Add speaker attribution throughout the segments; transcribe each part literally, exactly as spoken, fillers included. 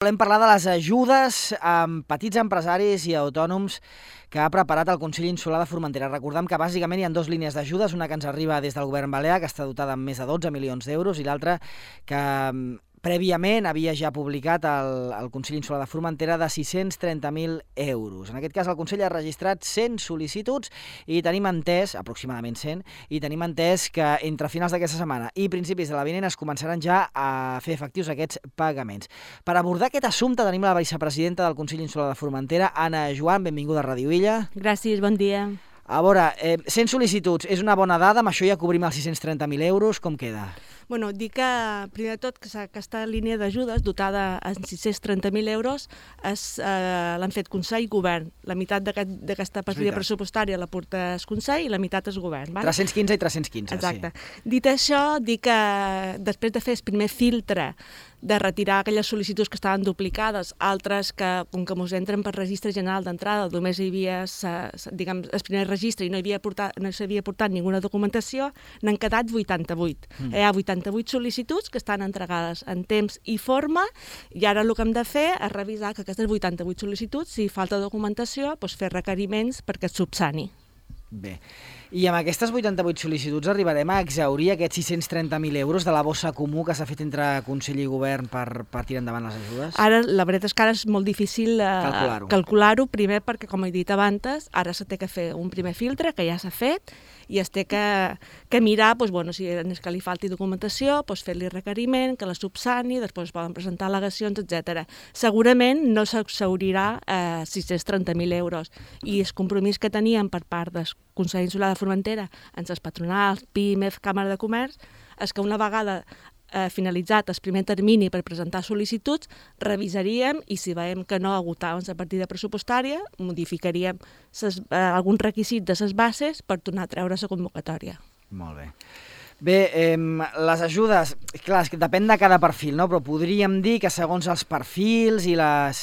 Speaker 1: Volem parlar de les ajudes a petits empresaris i autònoms que ha preparat el Consell Insular de Formentera. Recordem que bàsicament hi ha dues línies d'ajudes, una que ens arriba des del govern balear, que està dotada amb més de dotze milions d'euros, i l'altra que prèviament havia ja publicat el, el Consell Insular de Formentera de sis-cents trenta mil euros. En aquest cas el Consell ha registrat cent sol·licituds i tenim entès, aproximadament cent, i tenim entès que entre finals d'aquesta setmana i principis de la vinent es començaran ja a fer efectius aquests pagaments. Per abordar aquest assumpte tenim la vicepresidenta del Consell Insular de Formentera, Anna Joan, benvinguda a Ràdio Illa.
Speaker 2: Gràcies, bon dia.
Speaker 1: A veure, eh, cent sol·licituds és una bona dada, amb això ja cobrim els sis-cents trenta mil euros, com queda?
Speaker 2: Bueno, dic que, primer de tot, que aquesta línia d'ajudes dotada amb sis-cents trenta mil euros eh, l'han fet Consell i Govern. La meitat d'aquesta partida pressupostària la porta el Consell i la meitat és Govern. Val?
Speaker 1: tres-cents quinze i tres-cents quinze,
Speaker 2: Exacte.
Speaker 1: Sí.
Speaker 2: Dit això, dic que després de fer el primer filtre de retirar aquelles sol·licituds que estaven duplicades, altres que, com que ens entren per registre general d'entrada, només hi havia, diguem, el primer registre i no s'havia portat, no s'havia portat ninguna documentació, n'han quedat vuitanta-vuit. Mm. Hi ha vuitanta-vuit sol·licituds que estan entregades en temps i forma, i ara el que hem de fer és revisar que aquestes vuitanta-vuit sol·licituds, si falta documentació, doncs fer requeriments perquè es subsani.
Speaker 1: Bé, i amb aquestes vuitanta-vuit sol·licituds arribarem a exhaurir aquests sis-cents trenta mil euros de la bossa comú que s'ha fet entre Consell i Govern per, per tirar endavant les ajudes?
Speaker 2: Ara, la veritat és que ara és molt difícil eh,
Speaker 1: calcular-ho.
Speaker 2: calcular-ho, primer perquè, com he dit abans, ara s'ha de fer un primer filtre, que ja s'ha fet, i es té que, que mirar, doncs, bueno, si és que li falti documentació, doncs, fer-li requeriment, que la subsani, després poden presentar al·legacions, etcètera. Segurament no s'exhaurirà eh, sis-cents trenta mil euros, i el compromís que teníem per part del Consell Insular de Formentera, amb les patronals, PIMEF, Càmera de Comerç, és que una vegada eh, finalitzat el primer termini per presentar sol·licituds, revisaríem i si veiem que no agotàvem la partida pressupostària, modificaríem ses, eh, algun requisit de les bases per tornar a treure la convocatòria.
Speaker 1: Molt bé. Bé, eh, les ajudes, clar, és que depèn de cada perfil, no? Però podríem dir que segons els perfils i les...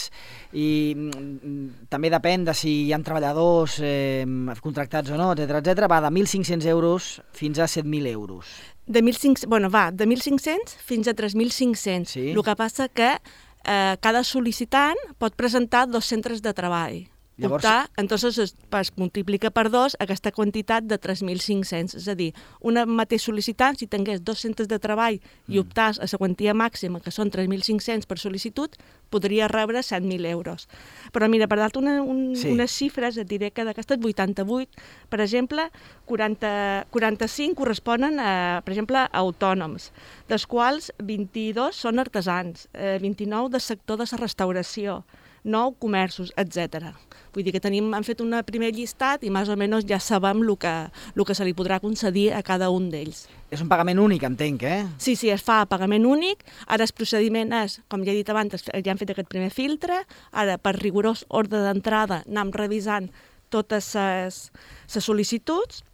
Speaker 1: i mm, també depèn de si hi ha treballadors eh, contractats o no, etcètera, etcètera, va de mil cinc-cents euros fins a set mil euros.
Speaker 2: De mil cinc-cents, bueno, va, de mil cinc-cents fins a tres mil cinc-cents.
Speaker 1: Sí.
Speaker 2: El que passa que eh, cada sol·licitant pot presentar dos centres de treball.
Speaker 1: Llavors...
Speaker 2: Optar, entonces es, es multiplica per dos aquesta quantitat de tres mil cinc-cents. És a dir, una mateix sol·licitant, si tingués dos centres de treball mm. i optàs a la quantia màxima, que són tres mil cinc-cents per sol·licitud, podria rebre set mil euros. Però mira, per dar-te una, un, sí. unes xifres, et diré que d'aquestes vuitanta-vuit, per exemple, quaranta, quaranta-cinc corresponen, a, per exemple, a autònoms, dels quals vint-i-dos són artesans, eh, vint-i-nou del sector de la restauració, nou comerços, etcètera. Vull dir que tenim, hem fet un primer llistat i més o menys ja sabem el que, el que se li podrà concedir a cada un d'ells.
Speaker 1: És un pagament únic, entenc, eh?
Speaker 2: Sí, sí, es fa a pagament únic. Ara el procediment és, com ja he dit abans, ja hem fet aquest primer filtre, ara per rigorós ordre d'entrada anem revisant totes les sol·licituds,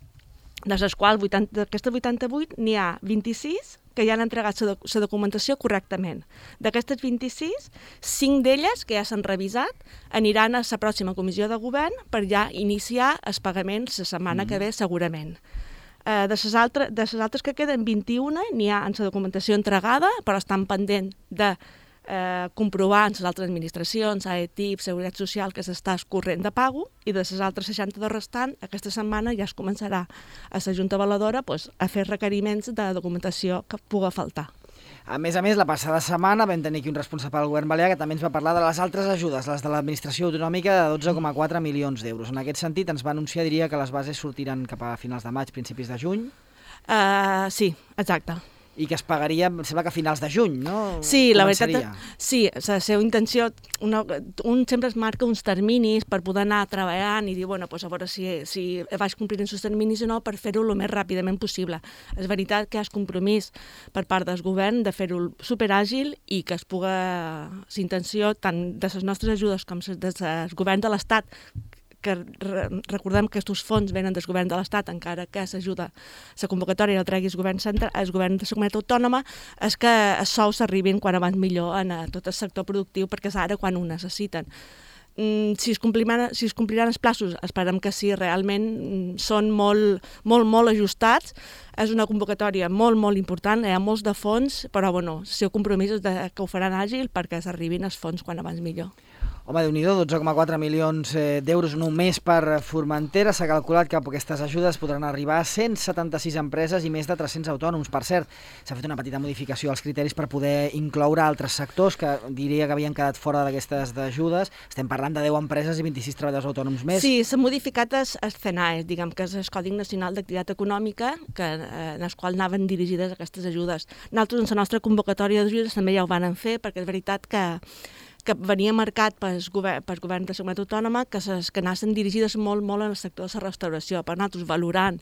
Speaker 2: de les quals d'aquestes vuitanta-vuit n'hi ha vint-i-sis que ja han entregat la documentació correctament. D'aquestes vint-i-sis, cinc d'elles, que ja s'han revisat, aniran a la pròxima comissió de govern per ja iniciar els pagaments la setmana mm. que ve, segurament. Eh, de les altres, de les altres que queden vint-i-una, n'hi ha en la documentació entregada, però estan pendent de eh, comprovar en les altres administracions, A E T I P, Seguretat Social, que s'està escorrent de pago, i de les altres seixanta-dos restant, aquesta setmana ja es començarà a la Junta Avaladora pues, a fer requeriments de documentació que pugui faltar.
Speaker 1: A més a més, la passada setmana vam tenir aquí un responsable del govern balear que també ens va parlar de les altres ajudes, les de l'administració autonòmica de dotze coma quatre milions d'euros. En aquest sentit, ens va anunciar, diria, que les bases sortiran cap a finals de maig, principis de juny.
Speaker 2: Uh, sí, exacte.
Speaker 1: I que es pagaria, em sembla que a finals de juny, no?
Speaker 2: Sí, la veritat, sí, la seva intenció, una, un sempre es marca uns terminis per poder anar treballant i dir, bueno, pues a veure si, si vaig complint els terminis o no, per fer-ho el més ràpidament possible. És veritat que hi ha el compromís per part del govern de fer-ho superàgil i que es puga, la intenció tant de les nostres ajudes com del govern de l'Estat, que recordem que aquests fons venen del govern de l'Estat, encara que s'ajuda la convocatòria el tregui el govern central, el govern de la comunitat autònoma, és que els sous arribin quan abans millor en tot el sector productiu, perquè és ara quan ho necessiten. si es compliran, si es compliran els plaços, esperem que sí, realment són molt, molt, molt ajustats. És una convocatòria molt, molt important, hi ha molts de fons, però bueno, el seu compromís és de, que ho faran àgil perquè s'arribin els fons quan abans millor.
Speaker 1: Home, Déu-n'hi-do, dotze coma quatre milions d'euros només per Formentera. S'ha calculat que aquestes ajudes podran arribar a cent setanta-sis empreses i més de tres-cents autònoms. Per cert, s'ha fet una petita modificació als criteris per poder incloure altres sectors que diria que havien quedat fora d'aquestes ajudes. Estem parlant de deu empreses i vint-i-sis treballadors autònoms més.
Speaker 2: Sí, s'ha modificat el C N A E, diguem que és el Codi Nacional d'Activitat Econòmica, que, eh, en el qual anaven dirigides aquestes ajudes. Nosaltres, en la nostra convocatòria d'ajudes, també ja ho van fer, perquè és veritat que que venia marcat pels governs per govern de la Comunitat Autònoma que, ses, que anaven dirigides molt, molt en el sector de la restauració. Per nosaltres, valorant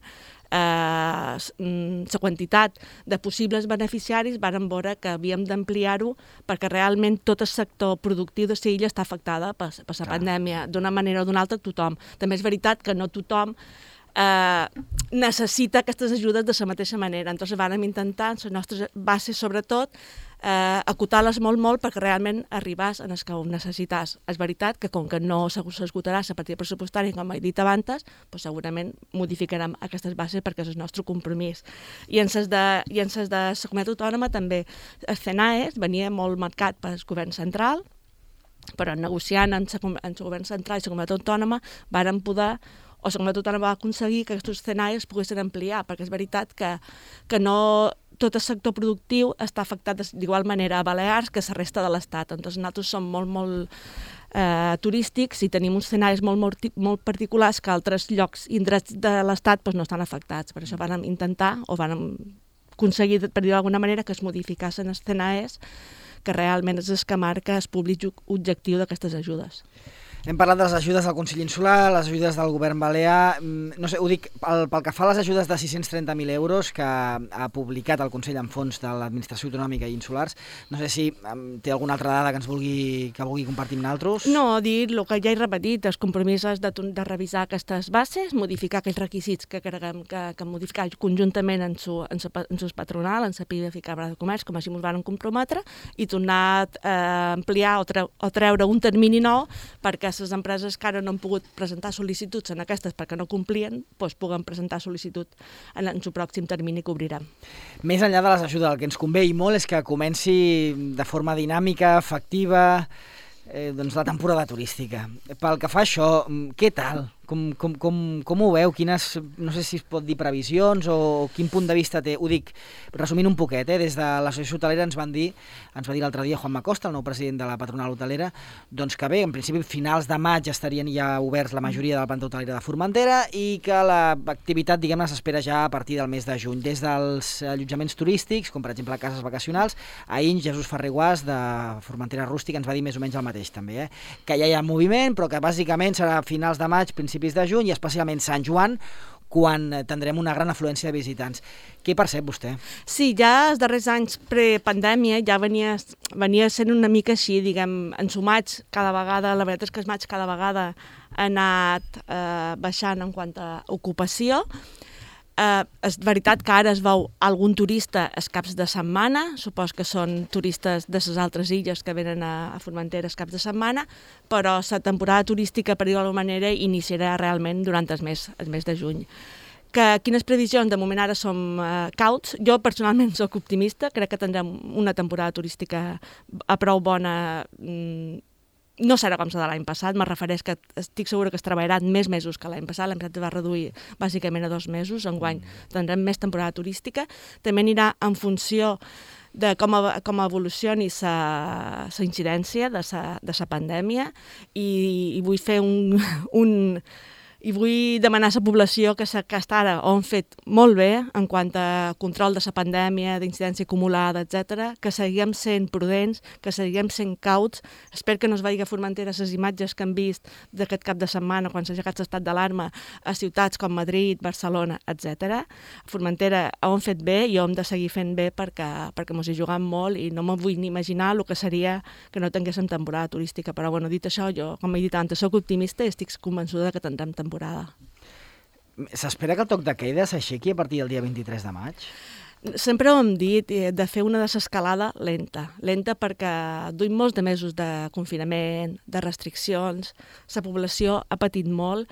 Speaker 2: la eh, quantitat de possibles beneficiaris, vàrem veure que havíem d'ampliar-ho perquè realment tot el sector productiu de l'illa està afectada per, per la pandèmia, d'una manera o d'una altra tothom. També és veritat que no tothom eh, necessita aquestes ajudes de la mateixa manera. Entonces vàrem intentar, en les nostres bases sobretot, Eh, acotar-les molt, molt perquè realment arribàs en els que ho necessites. És veritat que com que no s'esgotarà la partida pressupostària, com he dit abans, doncs segurament modificarem aquestes bases perquè és el nostre compromís. I en les de, i en les de la Comunitat Autònoma també el C N A E venia molt marcat pel govern central, però negociant amb el govern central i la Comunitat Autònoma varen poder o la Comunitat Autònoma va aconseguir que aquests C N A Es poguessin ampliar, perquè és veritat que, que no tot el sector productiu està afectat d'igual manera a Balears que a la resta de l'Estat. Entonces, nosaltres som molt, molt eh, turístics i tenim uns C N A Es molt, molt, molt particulars que altres llocs i indrets de l'Estat doncs, no estan afectats. Per això vam intentar, o vam aconseguir, per dir d'alguna manera, que es modificassin els C N A Es, que realment és el que marca el públic objectiu d'aquestes ajudes.
Speaker 1: Hem parlat de les ajudes del Consell Insular, les ajudes del govern balear. No sé, ho dic, pel, pel que fa a les ajudes de sis-cents trenta mil euros que ha publicat el Consell en fons de l'Administració Autonòmica i Insulars, no sé si um, té alguna altra dada que ens vulgui, que vulgui compartir amb nosaltres.
Speaker 2: No, dir el que ja he repetit, els compromisos de, de revisar aquestes bases, modificar aquells requisits que creguem que, que modificar conjuntament en su, en su, en su patronal, en la P I B F i Cambra de Comerç, com així ens van comprometre, i tornar a eh, ampliar o, treu, o treure un termini nou perquè les empreses que ara no han pogut presentar sol·licituds en aquestes perquè no complien, doncs puguen presentar sol·licitud en el pròxim termini que obrirem.
Speaker 1: Més enllà de les ajudes, el que ens convé i molt és que comenci de forma dinàmica, efectiva, eh, doncs la temporada turística. Pel que fa a això, què tal? Com, com, com, com ho veu? Quines, no sé si es pot dir previsions o quin punt de vista té? Ho dic resumint un poquet, eh? Des de l'associació hotelera ens van dir, ens va dir l'altre dia Juan Macosta, el nou president de la patronal hotelera, doncs que bé, en principi finals de maig estarien ja oberts la majoria de la planta hotelera de Formentera i que l'activitat, diguem-ne, s'espera ja a partir del mes de juny. Des dels allotjaments turístics, com per exemple cases vacacionals, ahir Jesús Ferrer Guàs de Formentera Rústica ens va dir més o menys el mateix també, eh? Que ja hi ha moviment, però que bàsicament serà a finals de maig, principis de juny i especialment Sant Joan, quan tindrem una gran afluència de visitants. Què percep vostè?
Speaker 2: Sí, ja els darrers anys prepandèmia ja venia, venia sent una mica així, diguem, en su maig cada vegada, la veritat és que el maig cada vegada ha anat eh, baixant en quant a ocupació. Eh, és veritat que ara es veu algun turista els caps de setmana, supos que són turistes de les altres illes que venen a, a Formentera els caps de setmana, però la temporada turística, per dir-ho d'alguna manera, iniciarà realment durant el mes, el mes de juny. Que, quines previsions? De moment ara som eh, cauts. Jo personalment soc optimista, crec que tindrem una temporada turística a prou bona. mm, No serà com la de l'any passat, me refereix que estic segura que es treballaran més mesos que l'any passat, l'any passat va reduir bàsicament a dos mesos, enguany tindrem més temporada turística, també anirà en funció de com, com evolucioni la incidència de la pandèmia i, i vull fer un... un I vull demanar a la població que, que està ara ho han fet molt bé en quant a control de la pandèmia, d'incidència acumulada, etcètera, que seguim sent prudents, que seguim sent cauts. Espero que no es vegi a Formentera les imatges que hem vist d'aquest cap de setmana quan s'ha aixecat l'estat d'alarma a ciutats com Madrid, Barcelona, etcètera. A Formentera ho han fet bé i ho hem de seguir fent bé perquè, perquè ens hi juguem molt i no me vull ni imaginar el que seria que no tinguéssim temporada turística. Però bueno, dit això, jo, com he dit abans, soc optimista i estic convençuda que tindrem temporada.
Speaker 1: S'espera que el toc de queda s'aixequi a partir del dia vint-i-tres de maig?
Speaker 2: Sempre ho hem dit, de fer una desescalada lenta. Lenta perquè duim molts de mesos de confinament, de restriccions, la població ha patit molt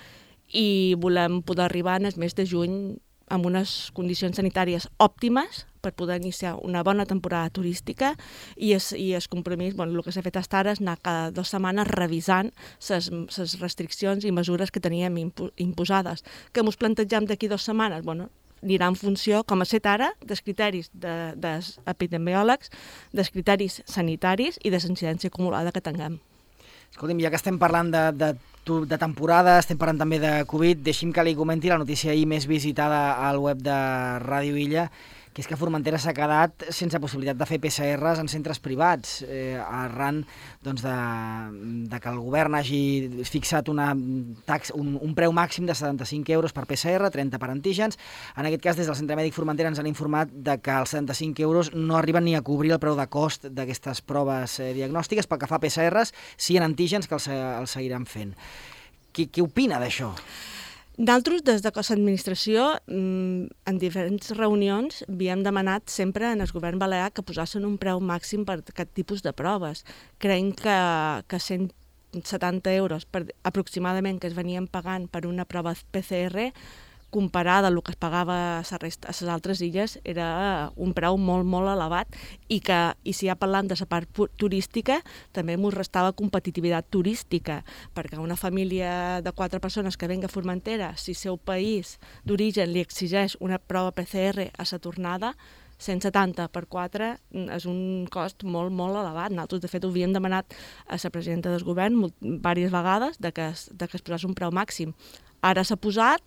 Speaker 2: i volem poder arribar en el mes de juny amb unes condicions sanitàries òptimes per poder iniciar una bona temporada turística i es, i es compromís, bueno, el que s'ha fet fins ara és anar cada dues setmanes revisant les restriccions i mesures que teníem impo imposades. Que ens plantegem d'aquí dues setmanes? Bueno, anirà en funció, com ha set ara, dels criteris de, dels epidemiòlegs, dels criteris sanitaris i de la incidència acumulada que tinguem.
Speaker 1: Escolti'm, ja que estem parlant de, de, de temporada, estem parlant també de Covid, deixi'm que li comenti la notícia ahir més visitada al web de Ràdio Illa, que és que Formentera s'ha quedat sense possibilitat de fer P C Rs en centres privats, eh, arran doncs, de, de que el govern hagi fixat una tax, un, un preu màxim de setanta-cinc euros per P C R, trenta per antígens. En aquest cas, des del Centre Mèdic Formentera ens han informat de que els setanta-cinc euros no arriben ni a cobrir el preu de cost d'aquestes proves eh, diagnòstiques. Pel que fa a P C Rs, sí en antígens, que els, els seguiran fent. Qui, qui opina d'això?
Speaker 2: Nosaltres, des de Cos d'Administració, en diferents reunions, havíem demanat sempre en el govern balear que posassin un preu màxim per aquest tipus de proves. Creiem que, que cent setanta euros per, aproximadament que es venien pagant per una prova P C R, comparada amb el que es pagava a les altres illes, era un preu molt, molt elevat i que, i si ja parlant de la part turística, també ens restava competitivitat turística, perquè una família de quatre persones que venga a Formentera, si el seu país d'origen li exigeix una prova P C R a la tornada, cent setanta per quatre és un cost molt, molt elevat. Nosaltres, de fet, ho havíem demanat a la presidenta del govern diverses vegades de que es, de que es posés un preu màxim. Ara s'ha posat,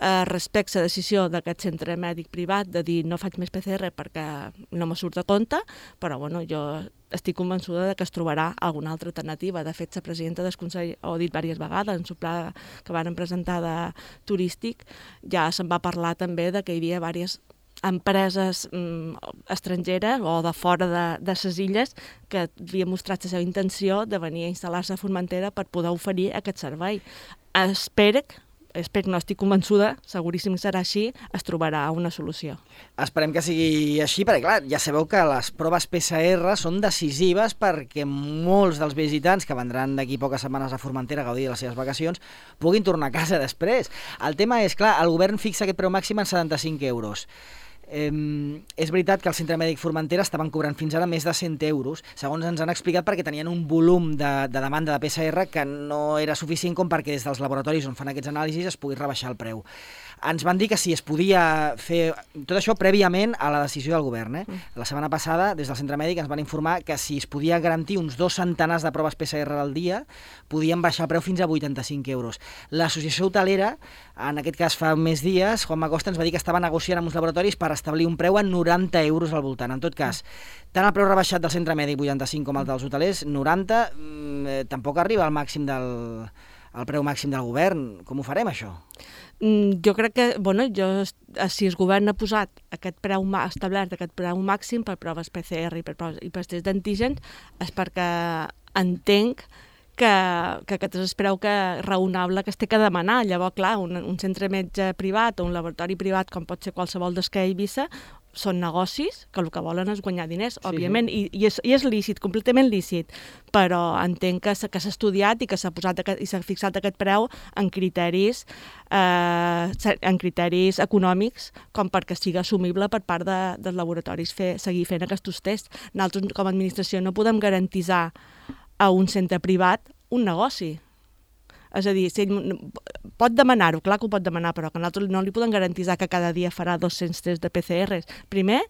Speaker 2: eh, respecte a la decisió d'aquest centre mèdic privat de dir no faig més P C R perquè no me surt a compte, però bueno, jo estic convençuda de que es trobarà alguna altra alternativa. De fet, la presidenta del Consell ho ha dit diverses vegades, en el pla que van presentar de turístic, ja se'n va parlar també de que hi havia diverses empreses mm, estrangeres o de fora de, de les illes que havien mostrat la seva intenció de venir a instal·lar-se a Formentera per poder oferir aquest servei. Espero, espero, no estic convençuda, seguríssim que serà així, es trobarà una solució.
Speaker 1: Esperem que sigui així, perquè clar, ja sabeu que les proves P C R són decisives perquè molts dels visitants que vendran d'aquí poques setmanes a Formentera a gaudir de les seves vacacions puguin tornar a casa després. El tema és, clar, el govern fixa aquest preu màxim en setanta-cinc euros. Eh, és veritat que el Centre Mèdic Formentera estaven cobrant fins ara més de cent euros, segons ens han explicat, perquè tenien un volum de, de demanda de P C R que no era suficient com perquè des dels laboratoris on fan aquests anàlisis es pogués rebaixar el preu. Ens van dir que si es podia fer tot això prèviament a la decisió del govern. Eh? La setmana passada, des del Centre Mèdic, ens van informar que si es podia garantir uns dos centenars de proves P C R al dia, podien baixar el preu fins a vuitanta-cinc euros. L'associació hotelera, en aquest cas fa més dies, Juan Macosta ens va dir que estava negociant amb uns laboratoris per establir un preu a noranta euros al voltant. En tot cas, tant el preu rebaixat del Centre Mèdic, vuitanta-cinc, com el dels hotelers, noranta, eh, tampoc arriba al màxim del... el preu màxim del govern. Com ho farem, això?
Speaker 2: Mm, jo crec que, bueno, jo, si el govern ha posat aquest preu, ha establert aquest preu màxim per proves P C R i per, proves, i per tests d'antígens, és perquè entenc que, que aquest és el preu que, raonable que es té que demanar. Llavors, clar, un, un centre metge privat o un laboratori privat, com pot ser qualsevol d'Esquerra i Eivissa, són negocis que el que volen és guanyar diners, sí, òbviament, sí. I, i, és, i és lícit, completament lícit, però entenc que s'ha estudiat i que s'ha posat aquest, i s'ha fixat aquest preu en criteris, eh, en criteris econòmics, com perquè sigui assumible per part de, dels laboratoris fer, seguir fent aquests tests. Nosaltres, com a administració, no podem garantitzar a un centre privat un negoci. És a dir, si ell pot demanar-ho, clar que ho pot demanar, però que nosaltres no li podem garantitzar que cada dia farà dos-cents tests de P C Rs. Primer,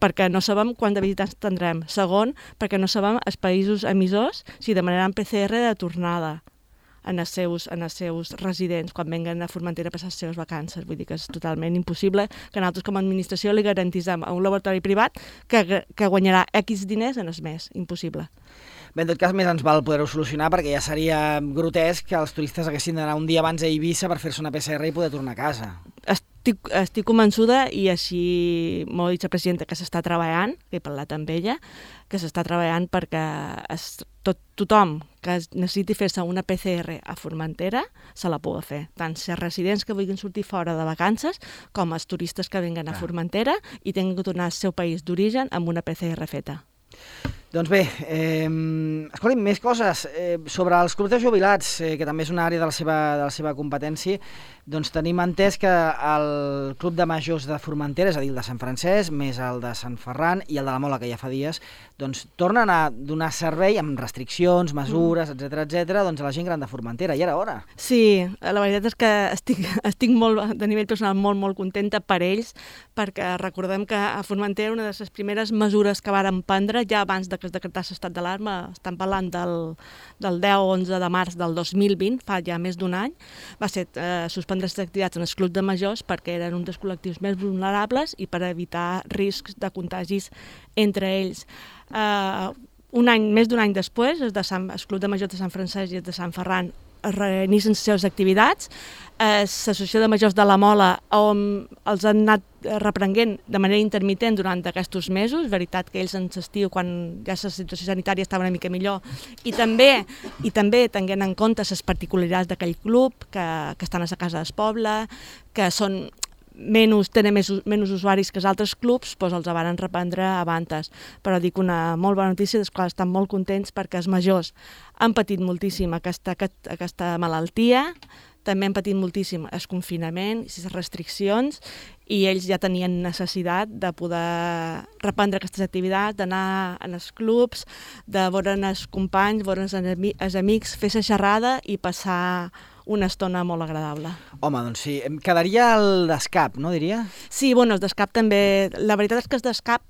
Speaker 2: perquè no sabem quant de visitants tindrem. Segon, perquè no sabem els països emissors si demanaran P C R de tornada en els seus, en els seus residents quan venguen a Formentera a passar les seves vacances. Vull dir que és totalment impossible que nosaltres com a administració li garantitzem a un laboratori privat que, que guanyarà X diners en el mes. Impossible.
Speaker 1: Bé, en tot cas, més ens val poder-ho solucionar, perquè ja seria grotesc que els turistes haguessin d'anar un dia abans a Eivissa per fer-se una P C R i poder tornar a casa.
Speaker 2: Estic, estic convençuda, i així m'ho ha dit la presidenta, que s'està treballant, que he parlat amb ella, que s'està treballant perquè es tot, tothom que necessiti fer-se una P C R a Formentera se la pugui fer, tant ser residents que vulguin sortir fora de vacances com els turistes que vinguen a Formentera i tinguin que tornar al seu país d'origen amb una P C R feta.
Speaker 1: Doncs bé, eh, escolti'm, més coses. Eh, sobre els clubs de jubilats, eh, que també és una àrea de la seva, de la seva competència, doncs tenim entès que el Club de Majors de Formentera, és a dir, el de Sant Francesc, més el de Sant Ferran i el de la Mola, que ja fa dies, doncs tornen a donar servei amb restriccions, mesures, etcètera, etcètera, doncs a la gent gran de Formentera. I era hora.
Speaker 2: Sí, la veritat és que estic, estic molt, de nivell personal molt, molt contenta per ells, perquè recordem que a Formentera una de les primeres mesures que varen prendre ja abans de que es decretés l'estat d'alarma, estan parlant del, del deu o onze de març del dos mil vint, fa ja més d'un any, va ser eh, suspendre les activitats en els clubs de majors perquè eren un dels col·lectius més vulnerables i per evitar riscs de contagis entre ells. Eh, un any, més d'un any després, els, de Sant, els clubs de majors de Sant Francesc i els de Sant Ferran reinicien les seves activitats. L'Associació de Majors de la Mola on els han anat reprenguent de manera intermitent durant aquests mesos, veritat que ells en l'estiu, quan ja la situació sanitària estava una mica millor, i també i també tenint en compte les particularitats d'aquell club, que, que estan a la casa del poble, que són menys, tenen més, menys usuaris que els altres clubs, doncs els van reprendre abans. Però dic una molt bona notícia, dels quals estan molt contents perquè els majors han patit moltíssim aquesta, aquesta malaltia, també han patit moltíssim el confinament i les restriccions, i ells ja tenien necessitat de poder reprendre aquestes activitats, d'anar als clubs, de veure els companys, veure els amics, fer la xerrada i passar una estona molt agradable.
Speaker 1: Home, doncs sí, em quedaria el d'escap, no diria?
Speaker 2: Sí, bueno, el d'escap també. La veritat és que el d'escap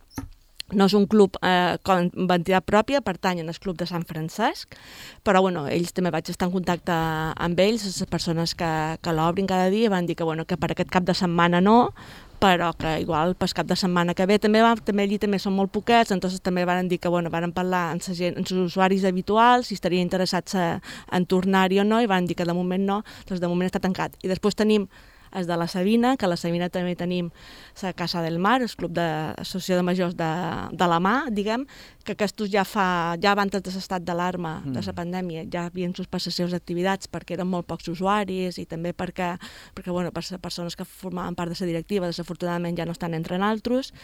Speaker 2: no és un club eh, amb entitat pròpia, pertanyen al club de Sant Francesc, però bueno, ells també vaig estar en contacte amb ells, les persones que, que l'obrin cada dia, van dir que, bueno, que per aquest cap de setmana no, però que igual pel cap de setmana que ve també, va, també allí també són molt poquets, entonces també van dir que bueno, van parlar amb els usuaris habituals si estarien interessats a, en tornar-hi o no, i van dir que de moment no, doncs de moment està tancat. I després tenim els de la Sabina, que a la Sabina també tenim la Casa del Mar, el club d'associació de majors de, de la mà, diguem, que aquests ja fa, ja abans de l'estat d'alarma mm. de la pandèmia, ja havien suspès les seves activitats perquè eren molt pocs usuaris i també perquè, perquè bueno, per les persones que formaven part de la directiva, desafortunadament ja no estan entre altres,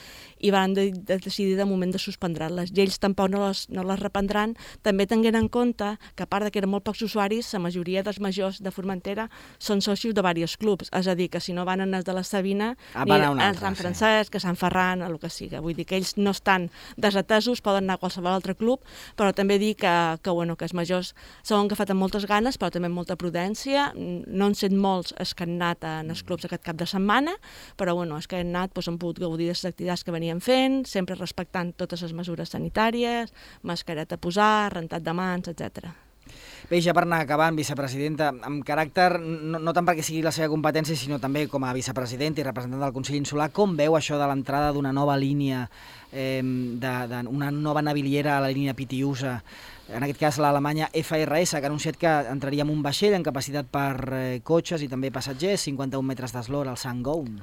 Speaker 2: i van de, de decidir de moment de suspendre-les. I ells tampoc no les, no les reprendran, també tenint en compte que a part de que eren molt pocs usuaris, la majoria dels majors de Formentera són socis de diversos clubs, és a dir, que si no van als de la Sabina,
Speaker 1: ah,
Speaker 2: ni a Sant Francesc, sí. a Sant Ferran, a el que sigui. Vull dir que ells no estan desatesos, poden anar a qualsevol altre club, però també dir que, que, bueno, que els majors s'ho han agafat amb moltes ganes, però també amb molta prudència. No han set molts els que han anat en els clubs aquest cap de setmana, però bueno, els que han anat doncs, han pogut gaudir de les activitats que venien fent, sempre respectant totes les mesures sanitàries, mascareta a posar, rentat de mans, etcètera.
Speaker 1: Bé, ja per anar acabant, vicepresidenta, amb caràcter, no, no tant perquè sigui la seva competència, sinó també com a vicepresidenta i representant del Consell Insular, com veu això de l'entrada d'una nova línia, eh, d'una nova naviliera a la línia Pitiusa, en aquest cas l'Alemanya F R S, que ha anunciat que entraria en un vaixell amb capacitat per eh, cotxes i també passatgers, cinquanta-un metres d'eslora al Sangoun?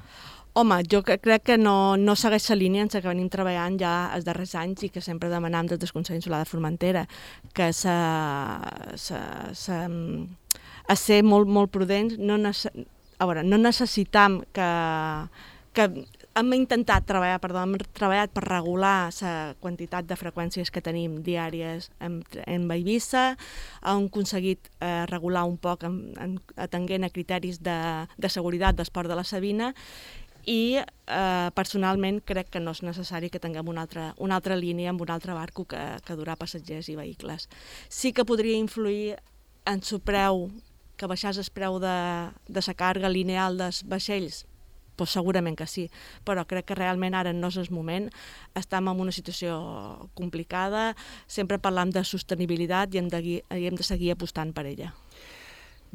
Speaker 2: Home, jo crec que no, no segueix la línia en la que venim treballant ja els darrers anys i que sempre demanam des del Consell Insular de Formentera, que s'ha a ser molt, molt prudents. No, a veure, no necessitam que, que hem intentat treballar, perdó, hem treballat per regular la quantitat de freqüències que tenim diàries en, en Eivissa, hem aconseguit eh, regular un poc en, en, atenent a criteris de, de seguretat d'esport de la Sabina, i eh, personalment crec que no és necessari que tinguem una altra, una altra línia amb un altre barco que, que durà passatgers i vehicles. Sí que podria influir en el preu, que baixés el preu de, de la càrrega lineal dels vaixells, pues segurament que sí, però crec que realment ara no és el moment, estem en una situació complicada, sempre parlam de sostenibilitat i hem de, i hem de seguir apostant per ella.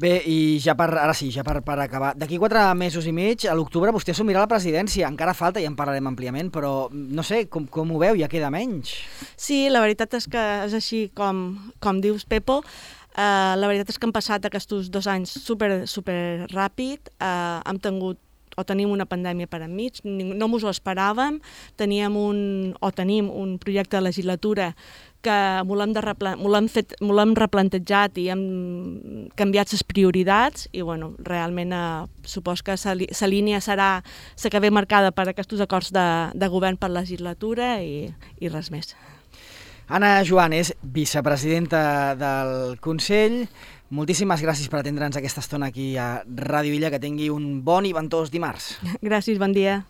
Speaker 1: Bé, i ja per, ara sí, ja per, per acabar, d'aquí quatre mesos i mig, a l'octubre vostè assumirà la presidència, encara falta i en parlarem àmpliament, però no sé, com, com ho veu, ja queda menys?
Speaker 2: Sí, la veritat és que és així com, com dius, Pepo. Uh, la veritat és que han passat aquests dos anys super, super ràpid, uh, hem tingut o tenim una pandèmia per enmig, no mos ho esperàvem, teníem un, o tenim un projecte de legislatura que m'ho l'hem de repla- m'ho l'hem fet, m'ho l'hem replantejat i hem canviat les prioritats i bueno, realment eh, supos que la línia serà la que ve marcada per aquests acords de, de govern per legislatura i, i res més.
Speaker 1: Anna Joan és vicepresidenta del Consell. Moltíssimes gràcies per atendre'ns aquesta estona aquí a Ràdio Illa. Que tingui un bon i ventós dimarts.
Speaker 2: Gràcies, bon dia.